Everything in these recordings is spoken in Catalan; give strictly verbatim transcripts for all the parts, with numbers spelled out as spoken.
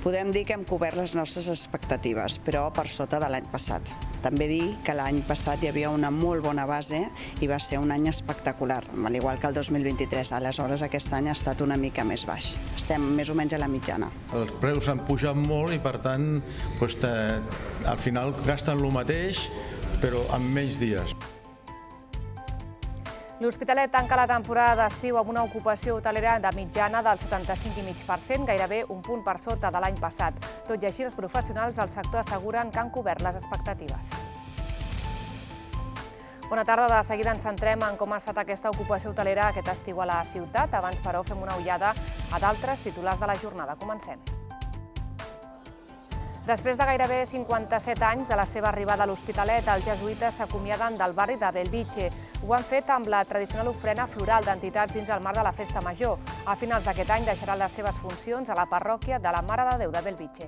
Podem dir que hem cobert les nostres expectatives, però per sota de l'any passat. També dir que l'any passat hi havia una molt bona base i va ser un any espectacular, al igual que el dos mil vint-i-tres. Aleshores, aquest any ha estat una mica més baix. Estem més o menys a la mitjana. Els preus han pujat molt i, per tant, doncs, al final gasten el mateix, però en menys dies. L'Hospitalet tanca la temporada d'estiu amb una ocupació hotelera de mitjana del setanta-cinc coma cinc per cent, gairebé un punt per sota de l'any passat. Tot i així, els professionals del sector asseguren que han cobert les expectatives. Bona tarda, de seguida ens centrem en com ha estat aquesta ocupació hotelera aquest estiu a la ciutat. Abans, però, fem una ullada a d'altres titulars de la jornada. Comencem. Després de gairebé cinquanta-set anys de la seva arribada a l'Hospitalet, els jesuïtes s'acomiaden del barri de Belvitge. Ho han fet amb la tradicional ofrena floral d'entitats dins el marc de la Festa Major. A finals d'aquest any deixaran les seves funcions a la parròquia de la Mare de Déu de Belvitge.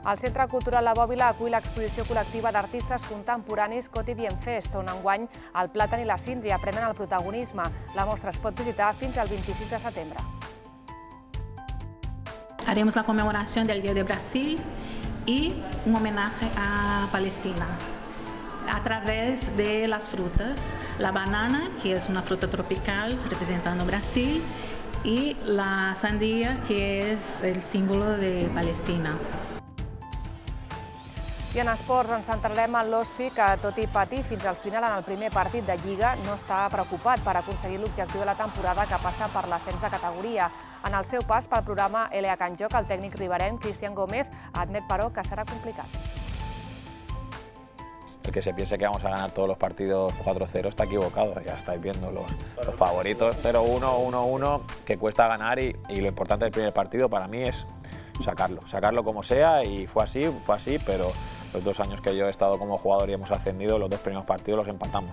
El Centre Cultural La Bòbila acull l'exposició col·lectiva d'artistes contemporanis Quotidien Fest, on enguany el Plàtan i la Síndria prenen el protagonisme. La mostra es pot visitar fins al vint-i-sis de setembre. Haremos la conmemoración del Día de Brasil y un homenaje a Palestina a través de las frutas. La banana, que es una fruta tropical representando Brasil, y la sandía, que es el símbolo de Palestina. I en esports ens centrarem en l'Hospi, que tot i patir fins al final en el primer partit de Lliga no està preocupat per aconseguir l'objectiu de la temporada, que passa per l'ascens de categoria. En el seu pas pel programa L A Can Joc, el tècnic riberenc Cristian Gómez admet, però, que serà complicat. El que se piense que vamos a ganar todos los partidos cuatro cero está equivocado. Ya estáis viendo los, los favoritos cero uno, uno uno, que cuesta ganar, y, y lo importante del primer partido para mí es sacarlo, sacarlo como sea, y fue así, fue así, pero los dos años que yo he estado como jugador y hemos ascendido, los dos primeros partidos los empatamos.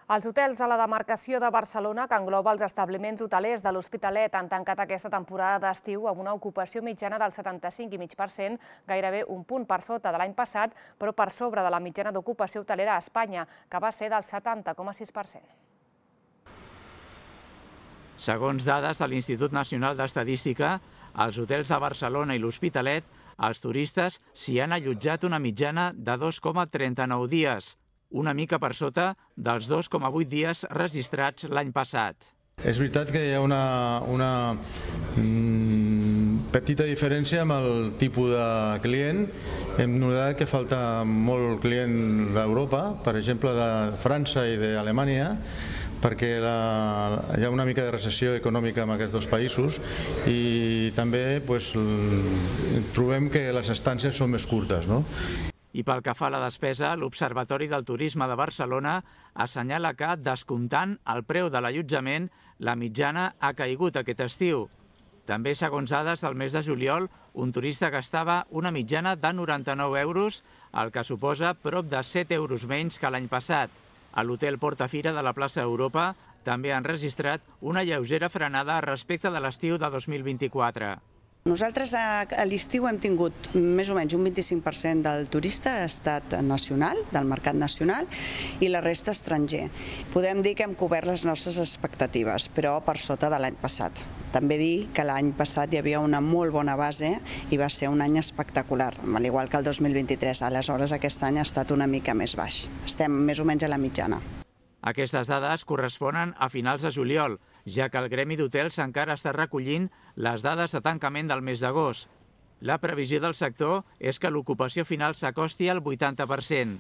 Els hotels a la demarcació de Barcelona, que engloba els establiments hotelers de l'Hospitalet, han tancat aquesta temporada d'estiu amb una ocupació mitjana del setanta-cinc coma cinc per cent, gairebé un punt per sota de l'any passat, però per sobre de la mitjana d'ocupació hotelera a Espanya, que va ser del setanta coma sis per cent. Segons dades de l'Institut Nacional d'Estadística, als hotels de Barcelona i l'Hospitalet, els turistes s'hi han allotjat una mitjana de dos coma trenta-nou dies, una mica per sota dels dos coma vuit dies registrats l'any passat. És veritat que hi ha una, una mm, petita diferència amb el tipus de client. Hem notat que falta molt client d'Europa, per exemple de França i d'Alemanya, perquè la, hi ha una mica de recessió econòmica en aquests dos països, i també pues, trobem que les estàncies són més curtes, no? I pel que fa a la despesa, l'Observatori del Turisme de Barcelona assenyala que, descomptant el preu de l'allotjament, la mitjana ha caigut aquest estiu. També, segons dades del mes de juliol, un turista gastava una mitjana de noranta-nou euros, el que suposa prop de set euros menys que l'any passat. A l'hotel Portafira de la plaça Europa també han registrat una lleugera frenada respecte de l'estiu de dos mil vint-i-quatre. Nosaltres a l'estiu hem tingut més o menys un vint-i-cinc per cent del turista ha estat nacional, del mercat nacional, i la resta estranger. Podem dir que hem cobert les nostres expectatives, però per sota de l'any passat. També dir que l'any passat hi havia una molt bona base i va ser un any espectacular, al igual que el dos mil vint-i-tres. Aleshores, aquest any ha estat una mica més baix. Estem més o menys a la mitjana. Aquestes dades corresponen a finals de juliol, ja que el Gremi d'Hotels encara està recollint les dades de tancament del mes d'agost. La previsió del sector és que l'ocupació final s'acosti al vuitanta per cent.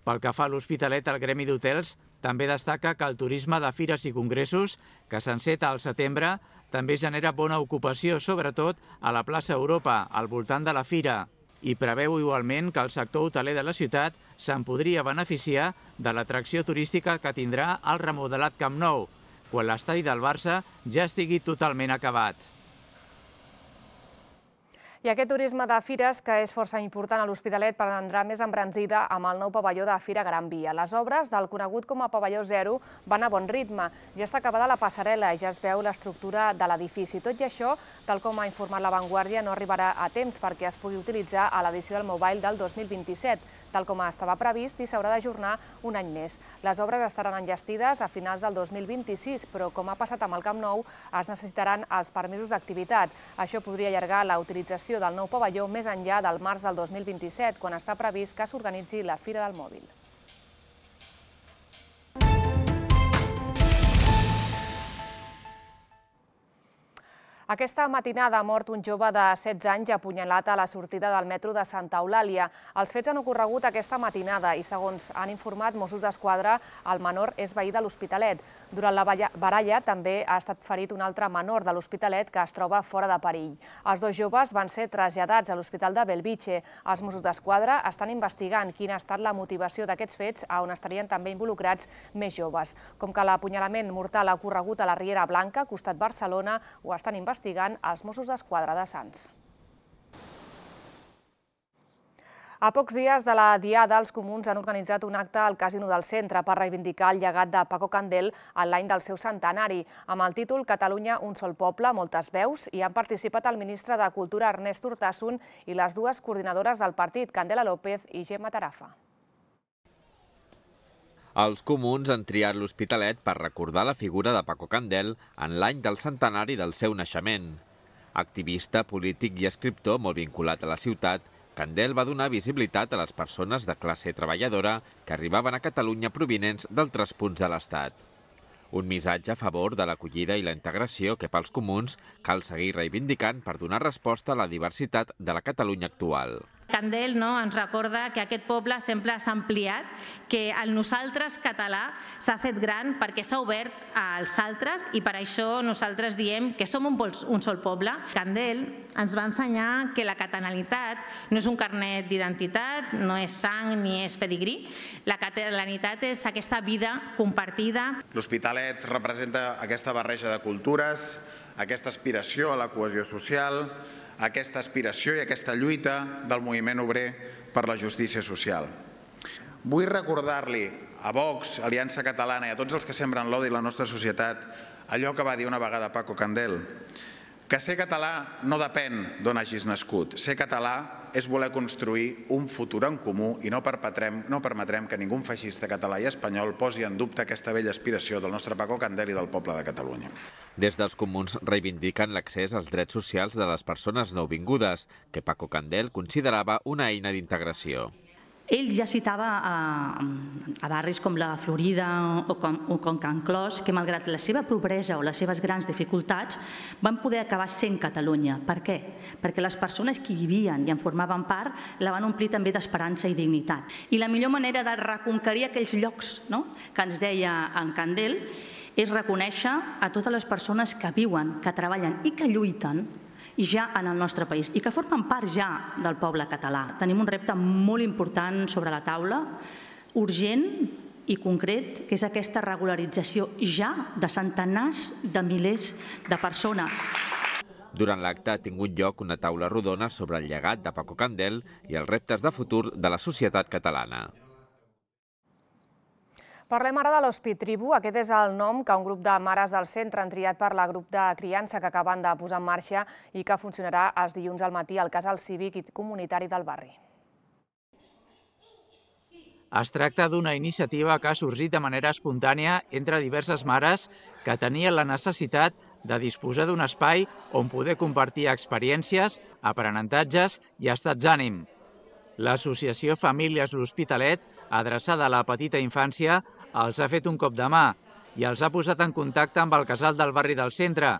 Pel que fa a l'Hospitalet, el Gremi d'Hotels també destaca que el turisme de fires i congressos, que s'enceta al setembre, també genera bona ocupació, sobretot a la plaça Europa, al voltant de la fira, i preveu igualment que el sector hoteler de la ciutat se'n podria beneficiar de l'atracció turística que tindrà el remodelat Camp Nou, quan l'estadi del Barça ja estigui totalment acabat. I aquest turisme de fires, que és força important a l'Hospitalet, prendrà més embranzida amb el nou pavelló de Fira Gran Via. Les obres del conegut com a pavelló zero van a bon ritme. Ja està acabada la passarel·la i ja es veu l'estructura de l'edifici. Tot i això, tal com ha informat La Vanguardia, no arribarà a temps perquè es pugui utilitzar a l'edició del Mobile del dos mil vint-i-set, tal com estava previst, i s'haurà d'ajornar un any més. Les obres estaran enllestides a finals del dos mil vint-i-sis, però com ha passat amb el Camp Nou, es necessitaran els permisos d'activitat. Això podria allargar la utilització del nou pavelló més enllà del març del dos mil vint-i-set, quan està previst que s'organitzi la Fira del Mòbil. Aquesta matinada ha mort un jove de setze anys apunyalat a la sortida del metro de Santa Eulàlia. Els fets han ocorregut aquesta matinada i, segons han informat Mossos d'Esquadra, el menor és veí de l'Hospitalet. Durant la baralla també ha estat ferit un altre menor de l'Hospitalet que es troba fora de perill. Els dos joves van ser traslladats a l'Hospital de Bellvitge. Els Mossos d'Esquadra estan investigant quina ha estat la motivació d'aquests fets, on estarien també involucrats més joves. Com que l'apunyalament mortal ha ocorregut a la Riera Blanca, costat Barcelona, ho estan investigant investigant els Mossos d'Esquadra de Sants. A pocs dies de la Diada, els comuns han organitzat un acte al Casino del Centre per reivindicar el llegat de Paco Candel en l'any del seu centenari. Amb el títol Catalunya, un sol poble, moltes veus, hi han participat el ministre de Cultura Ernest Urtasun i les dues coordinadores del partit, Candela López i Gemma Tarafa. Els comuns han triat l'Hospitalet per recordar la figura de Paco Candel en l'any del centenari del seu naixement. Activista, polític i escriptor molt vinculat a la ciutat, Candel va donar visibilitat a les persones de classe treballadora que arribaven a Catalunya provinents d'altres punts de l'Estat. Un missatge a favor de l'acollida i la integració que pels comuns cal seguir reivindicant per donar resposta a la diversitat de la Catalunya actual. Candel ens recorda que aquest poble sempre s'ha ampliat, que el nosaltres català s'ha fet gran perquè s'ha obert als altres i per això nosaltres diem que som un sol poble. Candel ens va ensenyar que la catalanitat no és un carnet d'identitat, no és sang ni és pedigrí. La catalanitat és aquesta vida compartida. L'Hospitalet representa aquesta barreja de cultures, aquesta aspiració a la cohesió social, aquesta aspiració i aquesta lluita del moviment obrer per la justícia social. Vull recordar-li a Vox, Aliança Catalana i a tots els que sembren l'odi a la nostra societat allò que va dir una vegada Paco Candel, que ser català no depèn d'on hagis nascut. Ser català és voler construir un futur en comú i no permetrem, no permetrem que ningú feixista català i espanyol posi en dubte aquesta vella aspiració del nostre Paco Candel i del poble de Catalunya. Des dels comuns reivindiquen l'accés als drets socials de les persones nouvingudes, que Paco Candel considerava una eina d'integració. Ell ja citava a, a barris com la Florida o com, o com Can Clos que, malgrat la seva pobresa o les seves grans dificultats, van poder acabar sent Catalunya. Per què? Perquè les persones que hi vivien i en formaven part la van omplir també d'esperança i dignitat. I la millor manera de reconquerir aquells llocs, no?, que ens deia en Candel és reconèixer a totes les persones que viuen, que treballen i que lluiten ja en el nostre país i que formen part ja del poble català. Tenim un repte molt important sobre la taula, urgent i concret, que és aquesta regularització ja de centenars de milers de persones. Durant l'acte ha tingut lloc una taula rodona sobre el llegat de Paco Candel i els reptes de futur de la societat catalana. Parlem ara de l'Hospitribu. Aquest és el nom que un grup de mares del centre han triat per la grup de criança que acaben de posar en marxa i que funcionarà els dilluns al matí al casal cívic i comunitari del barri. Es tracta d'una iniciativa que ha sorgit de manera espontània entre diverses mares que tenien la necessitat de disposar d'un espai on poder compartir experiències, aprenentatges i estats d'ànim. L'associació Famílies L'Hospitalet, adreçada a la petita infància, els ha fet un cop de mà i els ha posat en contacte amb el casal del barri del centre,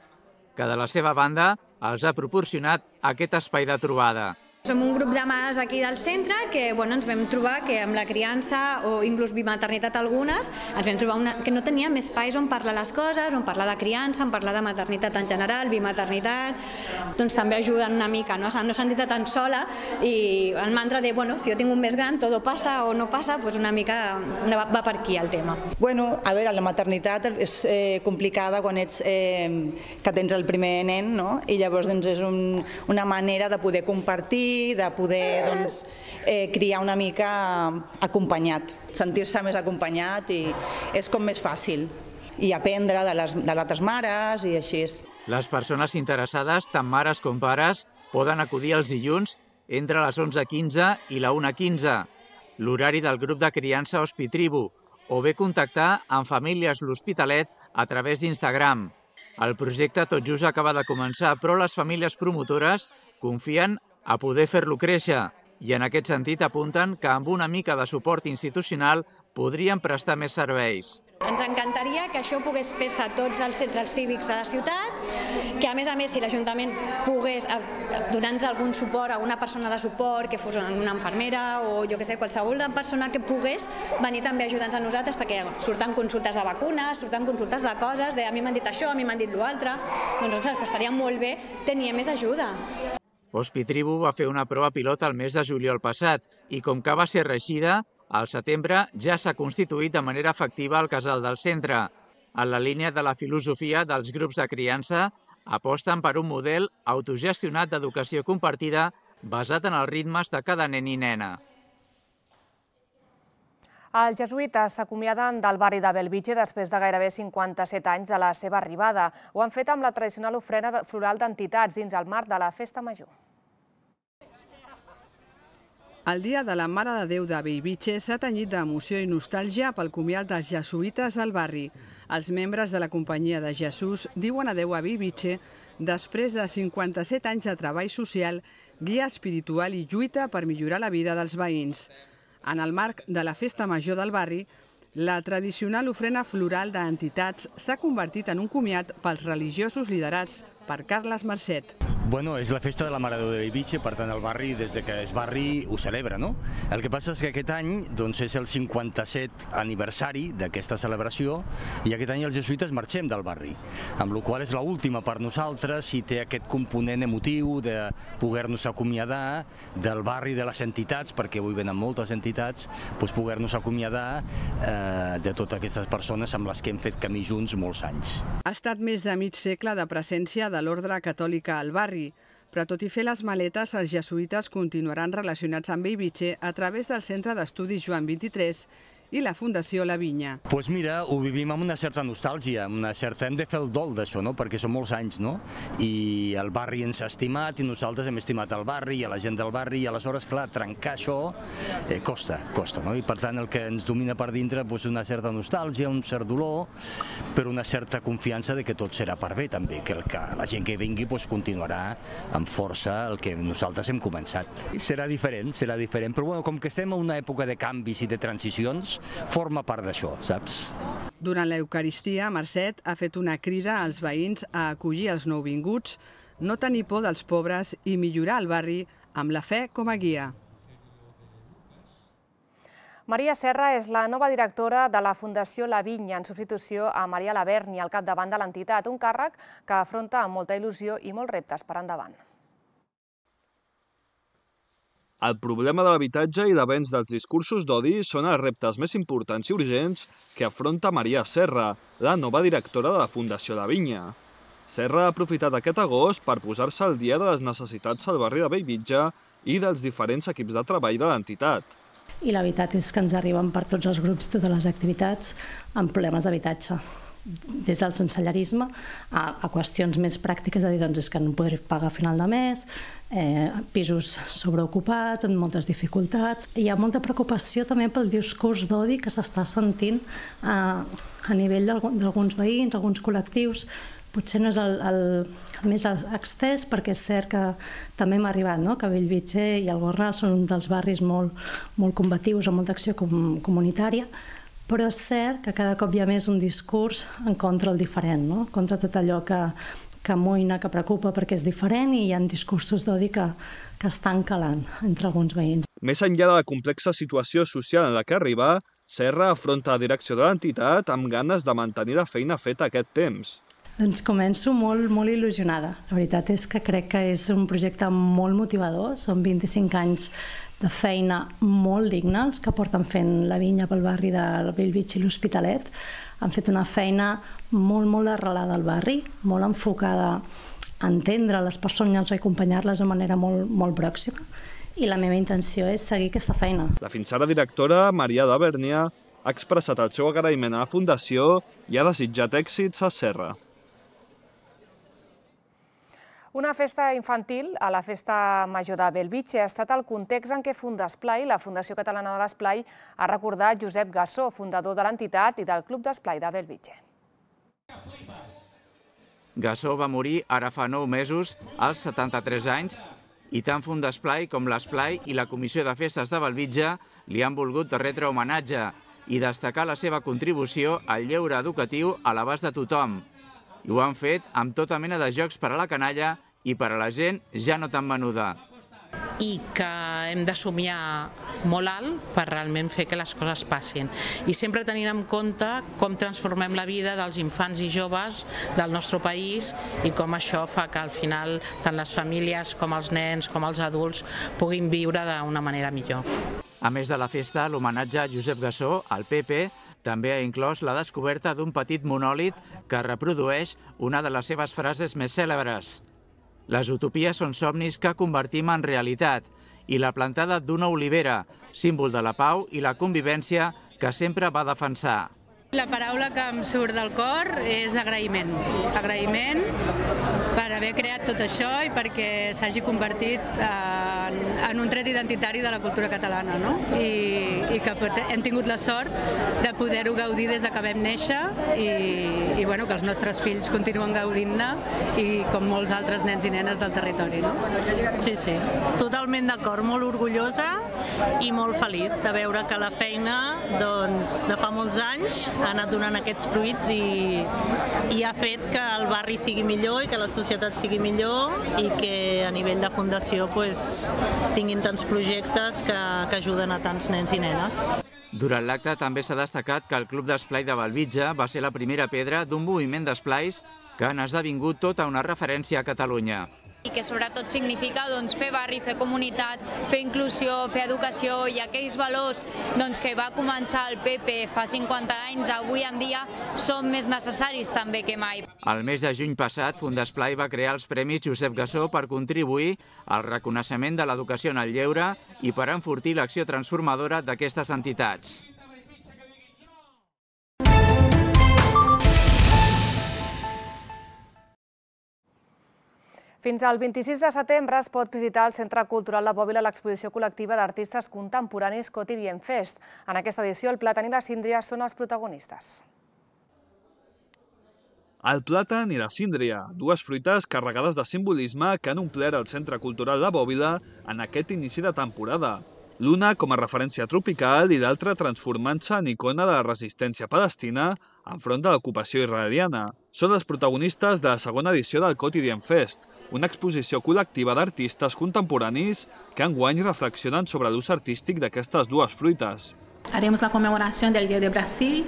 que de la seva banda els ha proporcionat aquest espai de trobada. Som un grup de mares d'aquí del centre que bueno, ens vam trobar que amb la criança o inclús bimaternitat algunes ens vam trobar una, que no teníem espais on parlar les coses, on parlar de criança, on parlar de maternitat en general, bimaternitat, doncs també ajuden una mica, no, no sentir-te tan sola i el mantra de, bueno, si jo tinc un més gran, tot passa o no passa, doncs una mica va per aquí el tema. Bueno, a veure, la maternitat és eh, complicada quan ets, eh, que tens el primer nen, no? I llavors doncs, és un, una manera de poder compartir, de poder doncs, eh, criar una mica acompanyat, sentir-se més acompanyat i és com més fàcil i aprendre de les, de les altres mares i així. Les persones interessades, tant mares com pares, poden acudir els dilluns entre les onze quinze i la una quinze, l'horari del grup de criança Hospitribu, o bé contactar amb Famílies L'Hospitalet a través d'Instagram. El projecte tot just acaba de començar, però les famílies promotores confien a poder fer-lo créixer i en aquest sentit apunten que amb una mica de suport institucional podrien prestar més serveis. Ens encantaria que això pogués fer-se a tots els centres cívics de la ciutat, que a més a més si l'Ajuntament pogués donar-nos algun suport a una persona de suport, que fos una infermera o jo que sé, qualsevol persona que pogués venir també a ajudar-nos a nosaltres perquè surten consultes de vacunes, surten consultes de coses, de a mi m'han dit això, a mi m'han dit l'altre, doncs ostres, estaria molt bé tenir més ajuda. Hospitribu va fer una prova pilot el mes de juliol passat i com que va ser reeixida, al setembre ja s'ha constituït de manera efectiva el casal del centre. En la línia de la filosofia dels grups de criança, aposten per un model autogestionat d'educació compartida basat en els ritmes de cada nen i nena. Els jesuïtes s'acomiaden del barri de Bellvitge després de gairebé cinquanta-set anys de la seva arribada. Ho han fet amb la tradicional ofrena floral d'entitats dins el marc de la Festa Major. El dia de la Mare de Déu de Bellvitge s'ha tenyit d'emoció i nostàlgia pel comiat dels jesuïtes del barri. Els membres de la Companyia de Jesús diuen adeu a Bellvitge després de cinquanta-set anys de treball social, guia espiritual i lluita per millorar la vida dels veïns. En el marc de la Festa Major del barri, la tradicional ofrena floral d'entitats s'ha convertit en un comiat pels religiosos liderats per Carles Marcet. Bueno, és la festa de la Mare de Déu de Bellvitge, per tant el barri, des de que és barri, ho celebra, no? El que passa és que aquest any doncs, és el cinquanta-set aniversari d'aquesta celebració i aquest any els jesuïtes marxem del barri, amb la qual cosa és l'última per nosaltres i té aquest component emotiu de poder-nos acomiadar del barri de les entitats, perquè avui venen moltes entitats, doncs poder-nos acomiadar eh, de totes aquestes persones amb les que hem fet camí junts molts anys. Ha estat més de mig segle de presència de l'ordre catòlica al barri, però tot i fer les maletes, els jesuïtes continuaran relacionats amb Bellvitge a través del Centre d'Estudis Joan vint-i-tres i la Fundació La Vinya. Doncs pues mira, ho vivim amb una certa nostàlgia, amb una certa... hem de fer el dol d'això, no? Perquè són molts anys, no? I el barri ens ha estimat i nosaltres hem estimat el barri i a la gent del barri i aleshores, clar, trencar això eh, costa, costa, no? I per tant el que ens domina per dintre és pues, una certa nostàlgia, un cert dolor, però una certa confiança de que tot serà per bé també, que, el que la gent que vingui pues, continuarà amb força el que nosaltres hem començat. I serà diferent, serà diferent, però bueno, com que estem en una època de canvis i de transicions, forma part d'això, saps? Durant l'Eucaristia, Marcet ha fet una crida als veïns a acollir els nouvinguts, no tenir por dels pobres i millorar el barri amb la fe com a guia. Maria Serra és la nova directora de la Fundació La Vinya, en substitució a Maria Laverni, al capdavant de l'entitat, un càrrec que afronta amb molta il·lusió i molts reptes per endavant. El problema de l'habitatge i d'avenç dels discursos d'odi són els reptes més importants i urgents que afronta Maria Serra, la nova directora de la Fundació La Vinya. Serra ha aprofitat aquest agost per posar-se al dia de les necessitats al barri de Bellvitge i dels diferents equips de treball de l'entitat. I la veritat és que ens arriben per tots els grups i totes les activitats amb problemes d'habitatge. Des del sensellarisme a, a qüestions més pràctiques, és a dir, doncs és que no podré pagar a final de mes, eh, pisos sobreocupats, amb moltes dificultats. Hi ha molta preocupació també pel discurs d'odi que s'està sentint a, a nivell d'alguns veïns, alguns col·lectius. Potser no és el, el, el més extès, perquè és cert que també m'ha arribat, no? Que Bellvitge i el Gornal són un dels barris molt, molt combatius, amb molta acció com, comunitària, però és cert que cada cop hi ha més un discurs en contra el diferent, no? Contra tot allò que, que amoïna, que preocupa perquè és diferent i hi ha discursos d'odi que, que estan calant entre alguns veïns. Més enllà de la complexa situació social en la que arriba, Serra afronta la direcció de l'entitat amb ganes de mantenir la feina feta aquest temps. Doncs començo molt, molt il·lusionada. La veritat és que crec que és un projecte molt motivador. Són vint-i-cinc anys de feina molt digna, els que porten fent la vinya pel barri de Bellvitge i l'Hospitalet. Han fet una feina molt, molt arrelada al barri, molt enfocada a entendre les persones i acompanyar-les de manera molt, molt pròxima. I la meva intenció és seguir aquesta feina. La fins ara directora, Maria de Bernia, ha expressat el seu agraïment a la Fundació i ha desitjat èxits a Serra. Una festa infantil a la Festa Major de Bellvitge ha estat el context en què Fundesplai, la Fundació Catalana de l'Esplai, ha recordat Josep Gassó, fundador de l'entitat i del Club d'Esplai de Bellvitge. Gassó va morir ara fa nou mesos, als setanta-tres anys, i tant Fundesplai com l'Esplai i la Comissió de Festes de Bellvitge li han volgut retre homenatge i destacar la seva contribució al lleure educatiu a l'abast de tothom. I ho han fet amb tota mena de jocs per a la canalla i per a la gent ja no tan menuda. I que hem de somiar molt alt per realment fer que les coses passin. I sempre tenint en compte com transformem la vida dels infants i joves del nostre país i com això fa que al final tant les famílies com els nens com els adults puguin viure d'una manera millor. A més de la festa, l'homenatge a Josep Gassó, al P P, també ha inclòs la descoberta d'un petit monòlit que reprodueix una de les seves frases més cèlebres. Les utopies són somnis que convertim en realitat i la plantada d'una olivera, símbol de la pau i la convivència que sempre va defensar. La paraula que em surt del cor és agraïment. Agraïment per haver creat tot això i perquè s'hagi convertit en, en un tret identitari de la cultura catalana, no? I, i que hem tingut la sort de poder-ho gaudir des de que vam néixer i, i bueno, que els nostres fills continuen gaudint-ne i com molts altres nens i nenes del territori, no? Sí, sí, totalment d'acord, molt orgullosa i molt feliç de veure que la feina doncs, de fa molts anys ha anat donant aquests fruits i, i ha fet que el barri sigui millor i que la societat sigui millor i que a nivell de fundació pues, tinguin tants projectes que, que ajuden a tants nens i nenes. Durant l'acte també s'ha destacat que el Club d'Esplai de Bellvitge va ser la primera pedra d'un moviment d'esplais que han esdevingut tota una referència a Catalunya. I que sobretot significa doncs, fer barri, fer comunitat, fer inclusió, fer educació i aquells valors doncs, que va començar el P P fa cinquanta anys, avui en dia són més necessaris també que mai. El mes de juny passat, Fundesplai va crear els Premis Josep Gassó per contribuir al reconeixement de l'educació en el lleure i per enfortir l'acció transformadora d'aquestes entitats. Fins al vint-i-sis de setembre es pot visitar al Centre Cultural de Bòbila l'exposició col·lectiva d'artistes contemporanis Quotidien Fest. En aquesta edició, el plàtan i la síndria són els protagonistes. El plàtan i la síndria, dues fruites carregades de simbolisme que han omplert el Centre Cultural de Bòbila en aquest inici de temporada. L'una com a referència tropical i l'altra transformant-se en icona de la resistència palestina enfront de l'ocupació israeliana. Són els protagonistes de la segona edició del Quotidien Fest, una exposició col·lectiva d'artistes contemporanis que enguany reflexionen sobre l'ús artístic d'aquestes dues fruites. Haremos la conmemoración del Día de Brasil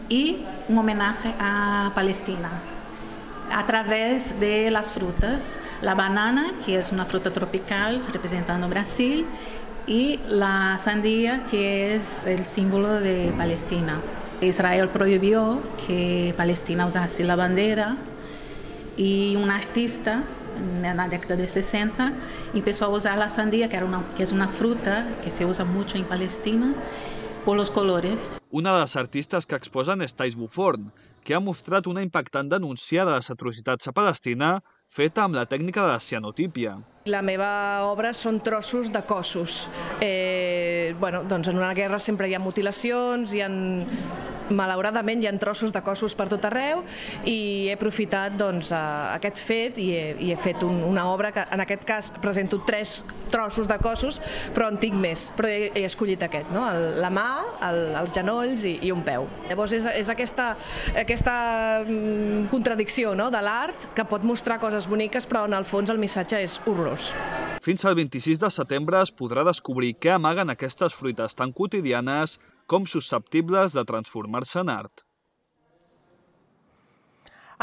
y un homenaje a Palestina a través de las frutas. La banana, que es una fruta tropical representando Brasil, y la sandía, que es el símbolo de Palestina. Israel prohibió que Palestina usase la bandera y un artista en la década de sesenta empezó a usar la sandía, que, era una, que es una fruta que se usa mucho en Palestina, por los colores. Una de les artistes que exposen és Thais Buforn, que ha mostrat una impactant denúncia de les atrocitats a Palestina feta amb la tècnica de la cianotípia. La meva obra són trossos de cossos. Eh, bueno, doncs en una guerra sempre hi ha mutilacions, hi ha malauradament hi ha trossos de cossos per tot arreu i he aprofitat doncs, aquest fet i he, i he fet un, una obra que en aquest cas presento tres trossos de cossos, però en tinc més, però he, he escollit aquest, no? El, la mà, el, els genolls i, i un peu. Llavors és, és aquesta, aquesta contradicció, no? De l'art que pot mostrar coses boniques però en el fons el missatge és horrorós. Fins al vint-i-sis de setembre es podrà descobrir què amaguen aquestes fruites tan quotidianes com susceptibles de transformar-se en art.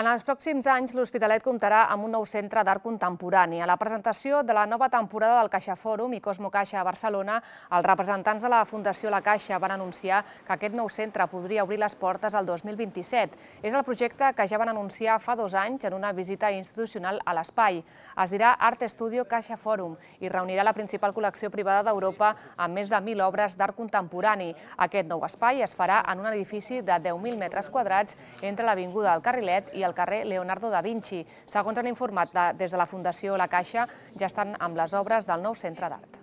En els pròxims anys, l'Hospitalet comptarà amb un nou centre d'art contemporani. A la presentació de la nova temporada del Caixa Fòrum i Cosmo Caixa a Barcelona, els representants de la Fundació La Caixa van anunciar que aquest nou centre podria obrir les portes el dos mil vint-i-set. És el projecte que ja van anunciar fa dos anys en una visita institucional a l'espai. Es dirà Art Studio Caixa Fòrum i reunirà la principal col·lecció privada d'Europa amb més de mil obres d'art contemporani. Aquest nou espai es farà en un edifici de deu mil metres quadrats entre l'Avinguda del Carrilet i el carrer Leonardo da Vinci. Segons han informat des de la Fundació La Caixa, ja estan amb les obres del nou centre d'art.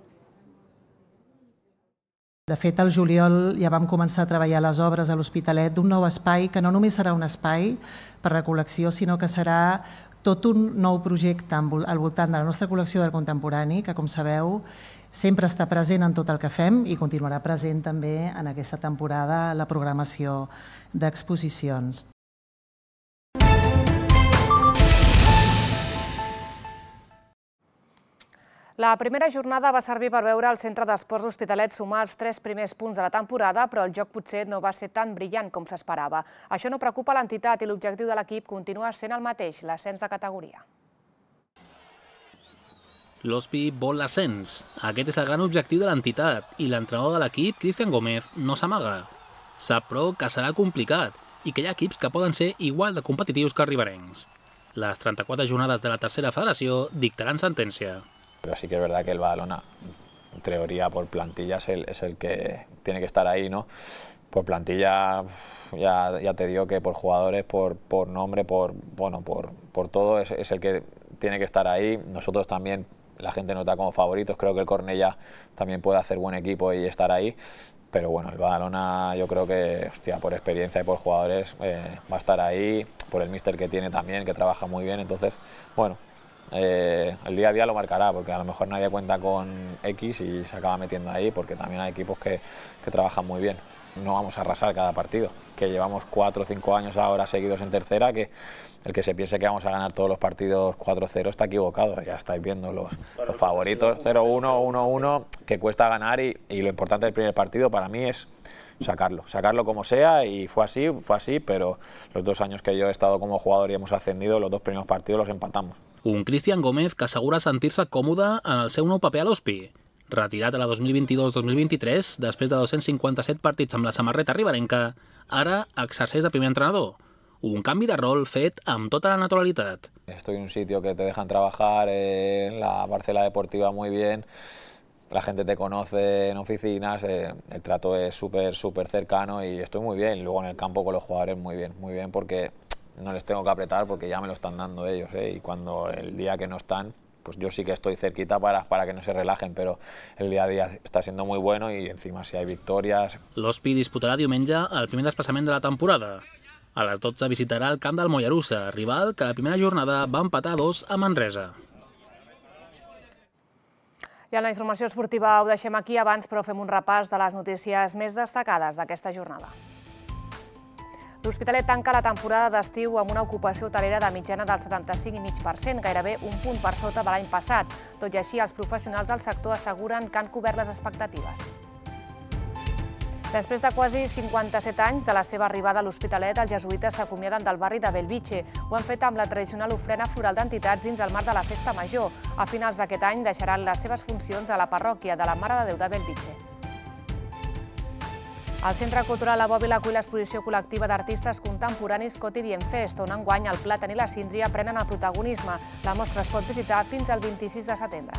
De fet, al juliol ja vam començar a treballar les obres a l'Hospitalet d'un nou espai que no només serà un espai per a la col·lecció, sinó que serà tot un nou projecte al voltant de la nostra col·lecció d'art contemporani, que, com sabeu, sempre està present en tot el que fem i continuarà present també en aquesta temporada la programació d'exposicions. La primera jornada va servir per veure el Centre d'Esports Hospitalet sumar els tres primers punts de la temporada, però el joc potser no va ser tan brillant com s'esperava. Això no preocupa l'entitat i l'objectiu de l'equip continua sent el mateix, l'ascens de categoria. L'Hospi vol l'ascens. Aquest és el gran objectiu de l'entitat i l'entrenador de l'equip, Cristian Gómez, no s'amaga. Sap, però, que serà complicat i que hi ha equips que poden ser igual de competitius que riberencs. Les trenta-quatre jornades de la tercera federació dictaran sentència. Pero sí que es verdad que el Badalona, en teoría por plantilla, es el, es el que tiene que estar ahí, ¿no? Por plantilla, ya, ya te digo que por jugadores, por, por nombre, por, bueno, por, por todo, es, es el que tiene que estar ahí. Nosotros también, la gente nos da como favoritos, creo que el Cornellá también puede hacer buen equipo y estar ahí. Pero bueno, el Badalona yo creo que, hostia, por experiencia y por jugadores eh, va a estar ahí, por el míster que tiene también, que trabaja muy bien, entonces, bueno, Eh, el día a día lo marcará, porque a lo mejor nadie cuenta con X y se acaba metiendo ahí, porque también hay equipos que, que trabajan muy bien. No vamos a arrasar cada partido, que llevamos cuatro o cinco años ahora seguidos en tercera, que el que se piense que vamos a ganar todos los partidos cuatro cero está equivocado. Ya estáis viendo los, los favoritos cero uno, uno uno, que cuesta ganar y, y lo importante del primer partido para mí es sacarlo, sacarlo como sea, y fue así, fue así, pero los dos años que yo he estado como jugador y hemos ascendido, los dos primeros partidos los empatamos. Un Cristian Gómez que assegura sentir-se còmode en el seu nou paper a l'Hospi. Retirat a la dos mil vint-i-dos dos mil vint-i-tres, després de dos-cents cinquanta-set partits amb la samarreta riberenca, ara exerceix de primer entrenador. Un canvi de rol fet amb tota la naturalitat. Estoy en un sitio que te dejan trabajar, eh, en la parcela deportiva muy bien, la gente te conoce en oficinas, eh, el trato es súper, súper cercano y estoy muy bien. Luego en el campo con los jugadores muy bien, muy bien porque no les tengo que apretar porque ya me lo están dando ellos, ¿eh? Y cuando el día que no están, pues yo sí que estoy cerquita para, para que no se relajen, pero el día a día está siendo muy bueno y encima si hay victorias. L'Hospi disputarà diumenge el primer desplaçament de la temporada. A les dotze visitarà el camp del Mollerussa, rival que la primera jornada va empatar a dos a Manresa. I en la informació esportiva ho deixem aquí abans, però fem un repàs de les notícies més destacades d'aquesta jornada. L'Hospitalet tanca la temporada d'estiu amb una ocupació hotelera de mitjana del setanta-cinc coma cinc per cent, gairebé un punt per sota de l'any passat. Tot i així, els professionals del sector asseguren que han cobert les expectatives. Després de quasi cinquanta-set anys de la seva arribada a l'Hospitalet, els jesuïtes s'acomiaden del barri de Bellvitge. Ho han fet amb la tradicional ofrena floral d'entitats dins el marc de la Festa Major. A finals d'aquest any deixaran les seves funcions a la parròquia de la Mare de Déu de Bellvitge. El Centre Cultural La Bòbila acull l'exposició col·lectiva d'artistes contemporanis Quotidien Fest, on enguany el Plàtan i la Síndria prenen el protagonisme. La mostra es pot visitar fins al vint-i-sis de setembre.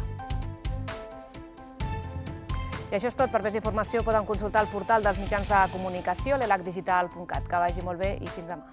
I això és tot. Per més informació poden consultar el portal dels mitjans de comunicació, l'elac digital punt cat. Que vagi molt bé i fins demà.